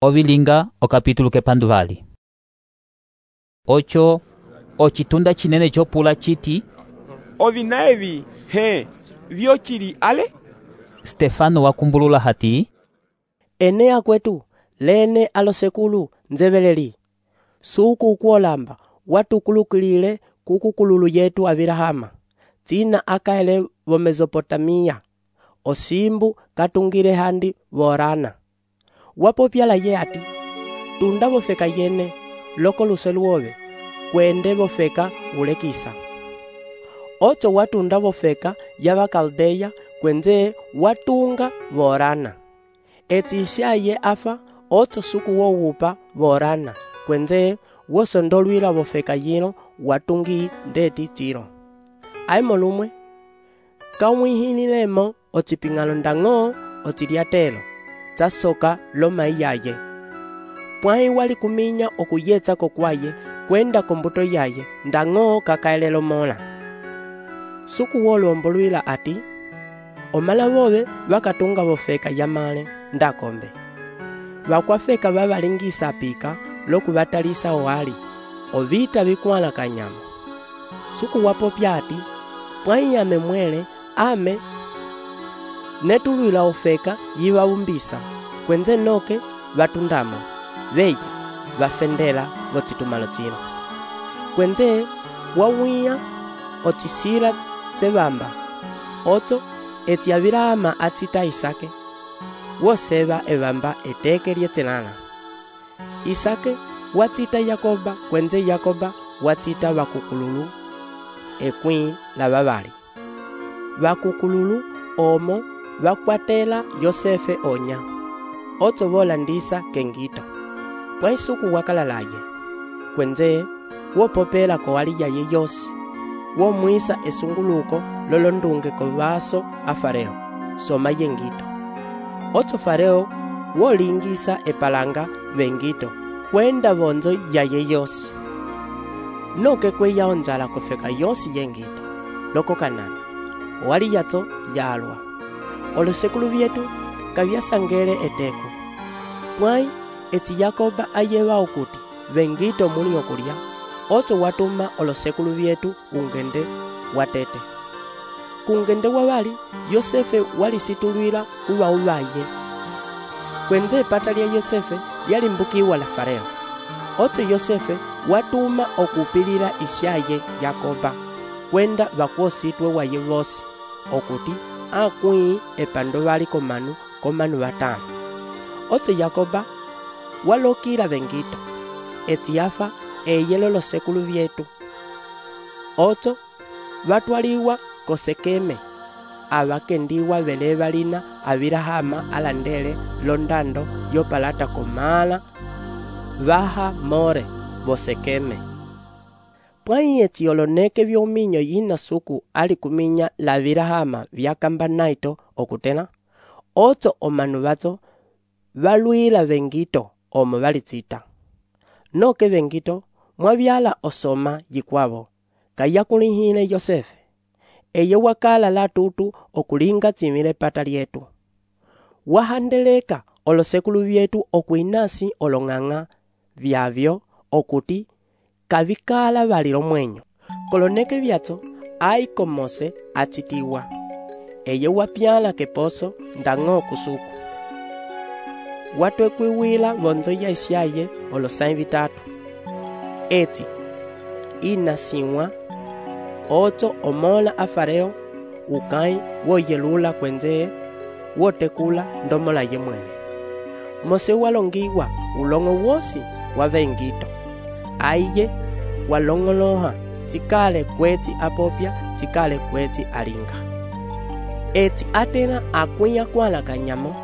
ovilinga okapitulo kepanduvali. Ocho ocitunda cinene copula citi, ovina evi vyocili ale? Stefano wakumbulula hati, ene akwetu lene alosekulu nzeveleli suku ukuolamba watukulukilile kukukululu yetu Abilahama tina akaele vo Mesopotamia osimbu katungile handi vorana wapopyala ye ati tunda vofeka yene loko luseluove kwende vofeka ulekisa ocho watunda vofeka yava Kaldeya kwenze watunga vorana eti ishaye afa ocho suku wowupa vorana kwenze wosondolwila vofeka yino watungi ndeti tiro aimo lumwe kamwihinilemo ociping'ano ndang'o ociliatelo casoka lomai yaye pwai wali kuminya okuyetsa kokwaye kwenda kombuto yaye ndang'o kakaelelo mola suku wolombolwila ati omala vove vakatunga vofeka yamale ndakombe vakwafeka vavalingisa pika lokuvatalisa oali ovita vikwala kanyama suku wapopya ati pwai yame mwele ame netulwila ofeka yivaumbisa kwenze noke vatundamo veye vafendela vocitumalo cino kwenze wawiya ocisila cevamba ocho eti Abilahama acita Isake woseva evamba eteke lyetselala Isake wacita Yakoba kwenze Yakoba wacita vakukululu ekwĩ la vavali vakukululu omo vakwatela Yosefe onya ocho volandisa kengito pwai suku wakalalaye kwenze wopopela kowali yaye yosi womwisa esunguluko lolondunge kovaso a Fareo soma yengito ocho Fareo wolingisa epalanga vengito kwenda vonzo yaye yosi noke kweya onjala kofeka yosi yengito loko Kanana wali yato yalwa olosekulu vyetu kavyasangele eteku pwai eti Yakoba ayeva okuti vengito muli okulya ocho watuma olosekulu vyetu ungende watete kungende wavali Yosefe walisitulwila kuva uvaye kwenze epata lya Yosefe yalimbukiwa la Fareo ocho Yosefe watuma okupilila isyaye Yakoba kwenda vakuositwe waye vosi okuti akwĩ epando vali komanu vatano ocho Yakoba walokila vengito eti yafa eyelo losekulu vyetu ocho vatwaliwa kosekeme avakendiwa vele valina Abilahama alandele londando yopalata komala vaha more vosekeme pwai eti oloneke vyominyo yina suku ali kuminya la Abilahama vyakamba naito okutela ocho omanu vacho valwila vengito omo valicita noke vengito mwavyala osoma yikwavo kayakulihile Yosefe eye wakala latutu okulinga tsimile pata lyetu wahandeleka olosekulu vyetu okuinasi olong'ang'a vyavyo okuti kavikala valilo mwenyo koloneke vyacho ai komose acitiwa eye wapyala keposo ndang'o kusuku watwekwiwila vonzo ya isyaye olosai vitatu eti inasiwa ocho omola a Fareo ukai woyelula kwenze wotekula ndomola ye mwene mose walongiwa ulongo wosi wa vengito aiye walongoloha tikale kweti apopya tikale kweti alinga eti atena akwiya kwala kanyamo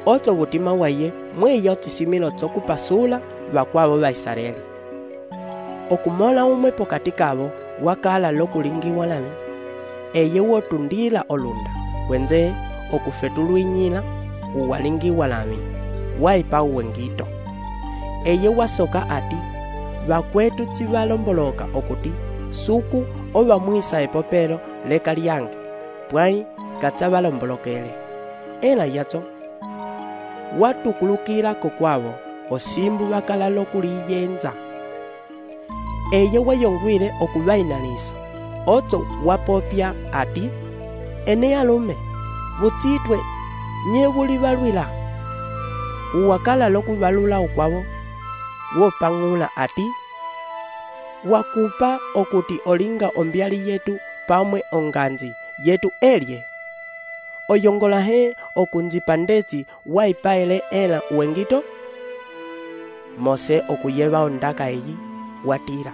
ocho vutima waye mweya ochisimilo chokupasula vakwavo va Israeli okumola umwe pokati kavo wakala lokulingiwa lami eye wotundila olunda kwenze okufetulwinyila uwalingiwa lami waipa uwengito eye wasoka ati vakwetu chivalomboloka okuti suku ovamwisa epopelo leka lyange pwai kachavalombolokele ela yacho watukulukila kokwavo osimbu vakala lokuliyenza. Eye wayongwile okuvainanisa, oto wapopya ati, ene alume, vutsitwe nye vulivalwila. Uwakala lokuvalula ukwavo, wopang'ula ati, wakupa okuti olinga ombyali yetu pamwe onganzi yetu elye. Oyongola he okunzipa ndetsi waipaele ela uwengito? Mose okuyeva ondaka eyi watira.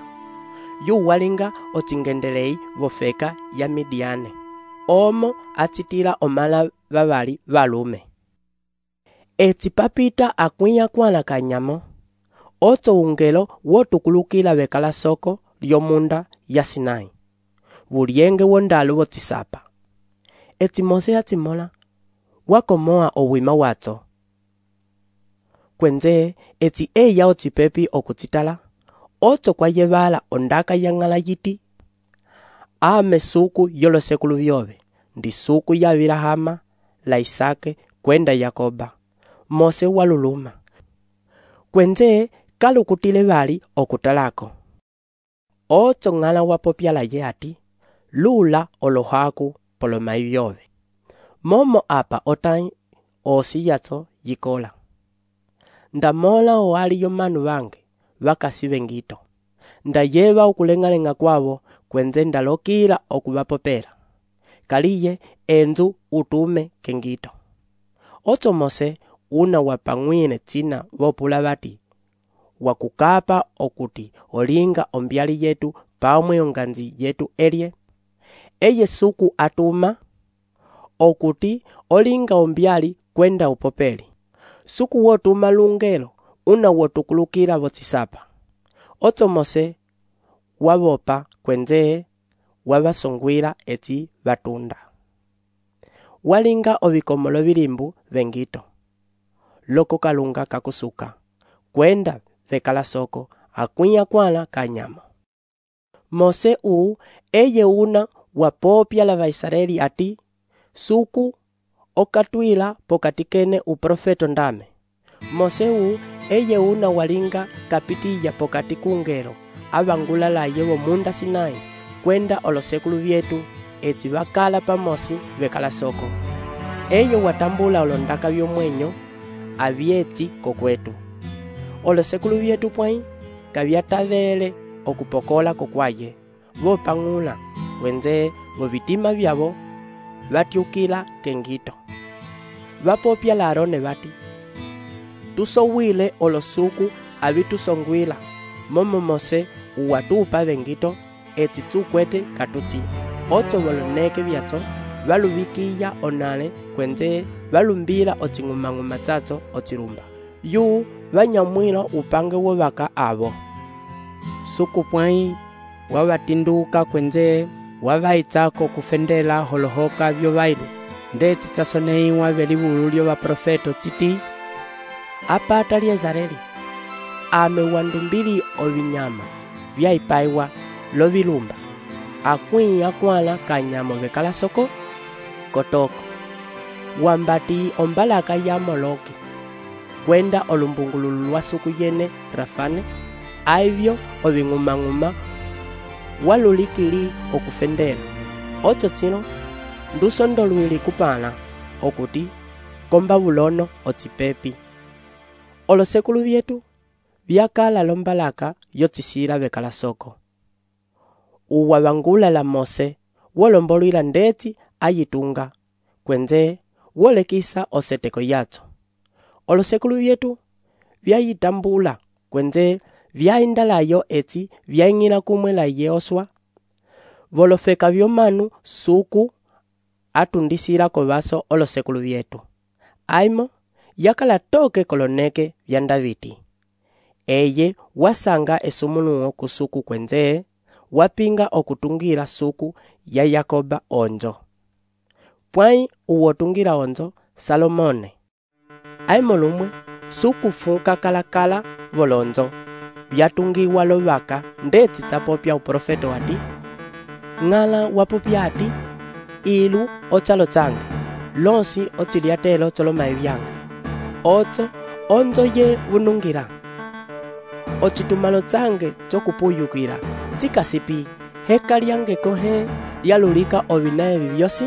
Yu walinga otingendelei vofeka ya Midiane. Omo atsitila omala vavali valume. Etsi papita akwiya kwana kanyamo. Oto ungelo wotukulukila vekala soko lyomunda ya Sinai. Vulienge wondalu wotisapa. Etsi Mose atimola wakomoa owima watso. Kwenze etsi eya otsipepi okutsitala. Oto kwa yevala ondaka yangala yiti. Ame suku yolo sekulu vyove. Ndi suku ya Abrahama, la Isake, kwenda Yakoba. Mose waluluma. Kwenze kalukutile vali okutalako. Oto ngala wapopya la ye ati, lula olohaku polomai vyove. Momo apa otai osi yatso yikola. Ndamola oali yomanu vange, vakasive ngito. Ndayeva ukulengalenga kwavo, kwenze ndalokila okuvapopera. Kaliye enzu utume kengito. Oto Mose una wapangwine tsina vopula vati, wakukapa okuti olinga ombyali yetu pamwe onganzi yetu elye. Eye suku atuma okuti olinga ombyali kwenda upopeli. Suku wotuma lungelo una wotukulukila votsisapa. Oto Mose wavopa kwenze wavasongwila etsi vatunda. Walinga ovikomolo vilimbu vengito. Loko kalunga kakusuka. Kwenda vekala soko akwiya kwana kanyamo. Mose eye una wapopya la Vaisraeli ati, suku okatwila pokatikene uprofeto ndame. Mose eye una walinga kapitiya pokati kungelo avangula la yewo munda Sinai kwenda olosekulu vyetu etsi vakala pamosi vekala soko. Eye watambula olondaka vyomwenyo avyetsi kokwetu. Olosekulu vyetu pwai kavyatavele okupokola kokwaye. Vopang'ula wenze vovitima vyavo vatyukila kengito. Vapopya la Arone vati, tusowile olosuku avitusongwila. Momo Mose uwatupa vengito etsi tukwete katutsi. Oto voloneke vyatso valuvikiya onale kwenze valumbila otsing'umang'uma tsatso otsirumba. Yu vanyamwila upange wovaka avo. Suku pwai wavatinduka kwenze wavaitsako kufendela holohoka vyovailu. Ndetsi tsasoneiwa velivulu lyo vaprofeto tsiti, apata Liezareli ame wandumbili ovinyama vyaipaiwa lovilumba. Akwiya kwana kanyamo vekala soko kotoko. Wambati ombalaka ya Moloki kwenda olumbungululu lwa suku yene Rafane. Aivyo oving'umang'uma walulikili okufendela. Oto tsino ndusondolwili kupana okuti komba vulono otsipepi. Olosekulu vyetu vyakala lombalaka yotsisila vekala soko. Uwavangula la Mose wolombolwila ndetsi ayitunga kwenze wolekisa oseteko yatso. Olosekulu vyetu vyayitambula kwenze vyaindalayo etsi vyaing'ila kumwe la Yehoswa. Volofeka vyomanu suku atundisila kovaso olosekulu vyetu. Aimo yakala toke koloneke vya Daviti. Eye wasanga esumunuo kusuku kwenze wapinga okutungira suku ya Yakoba onjo. Pwai uwotungira onjo Salomone. Aimo lumwe suku funka kalakala volonzo vyatungiwa lovaka ndetsi tsapopya uprofeto ati, ng'ala wapopya ati, ilu otsalo tsange lonsi otsiliatelo tsolomai vyanga. Otso onzo ye vunungira. Ocitumalo tsange cokupuyukira cikasipi heka lyange kohe lyalulika ovina evi vyosi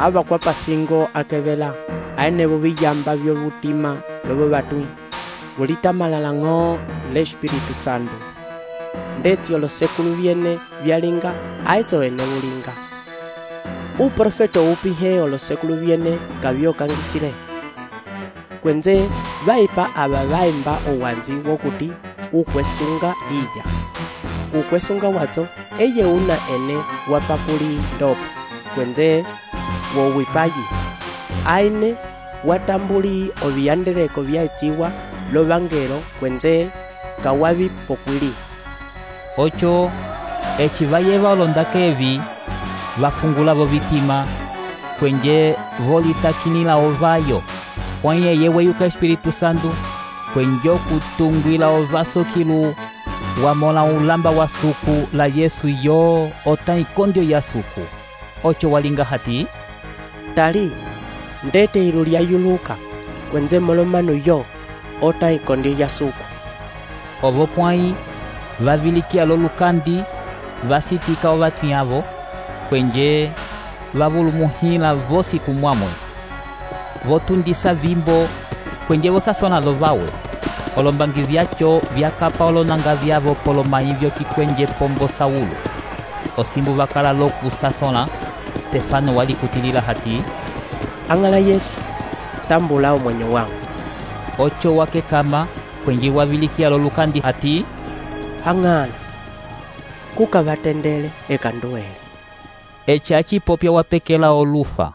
avakwa pasingo akevela aenevo viyamba vyovutima lovo vatwi vulitamalala ng'o l'Espiritu Santo ndeti olosekulu vyene vyalinga aeto ene vulinga. Uprofeto upihe olosekulu vyene kavyokangisile kwenze vaipa ava vaimba owanzi wokuti ukwesunga iya. Ukwesunga watso eye una ene wapakuli ndopa kwenze wowipayi aine watambuli oviyandeleko vyaeciwa lovangelo kwenze kawavi pokwili. Ocho eci vayeva olondaka evi vafungula vovitima kwenje volitakinila ovayo kwanye yeweyuka Espiritu Santo kwenje okutungwila ovasokilu wamola ulamba wa suku la Yesu yo ota ikondio ya suku. Ocho walinga hati tali ndete ilu lyayuluka kwenze molomanu yo ota ikondio ya suku. ovo pwai vavilikia lolukandi vasitika ovatwi avo kwenje vavulumuhila vosi kumwamwe votundisa vimbo kwenje vosasona lovawe olombangi vyacho vyakapa olonanga vyavo polomayi vyokikwenje pombo Saulo. Osimbu vakala lokusasona Stefano walikutilila hati ang'ala Yesu tambula omwenyo wangu. Ocho wake kama kwenje wavilikia lolukandi hati ang'ala kukavatendele ekanduele. echachi popya wapekela olufa